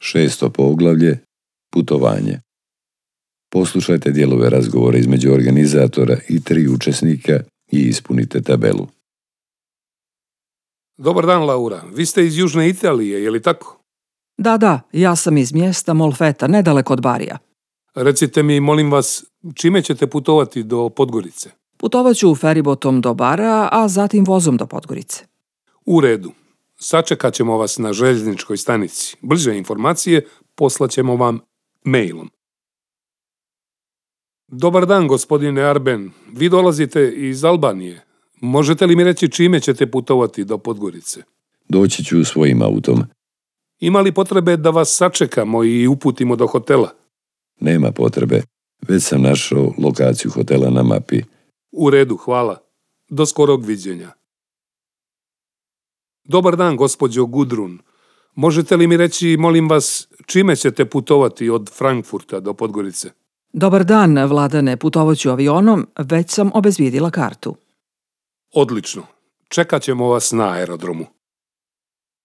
6. poglavlje – putovanje. Poslušajte dijelove razgovora između organizatora i 3 učesnika i ispunite tabelu. Dobar dan, Laura. Vi ste iz Južne Italije, je li tako? Da, ja sam iz mjesta Molfeta, nedaleko od Barija. Recite mi, molim vas, čime ćete putovati do Podgorice? Putovat ću feribotom do Bara, a zatim vozom do Podgorice. U redu. Sačekat ćemo vas na željezničkoj stanici. Bliže informacije poslaćemo vam mailom. Dobar dan, gospodine Arben. Vi dolazite iz Albanije. Možete li mi reći čime ćete putovati do Podgorice? Doći ću svojim autom. Ima li potrebe da vas sačekamo i uputimo do hotela? Nema potrebe. Već sam našao lokaciju hotela na mapi. U redu, hvala. Do skorog viđenja. Dobar dan, gospođo Gudrun. Možete li mi reći, molim vas, čime ćete putovati od Frankfurta do Podgorice? Dobar dan, Vladane, putovat ću avionom, već sam obezbijedila kartu. Odlično. Čekat ćemo vas na aerodromu.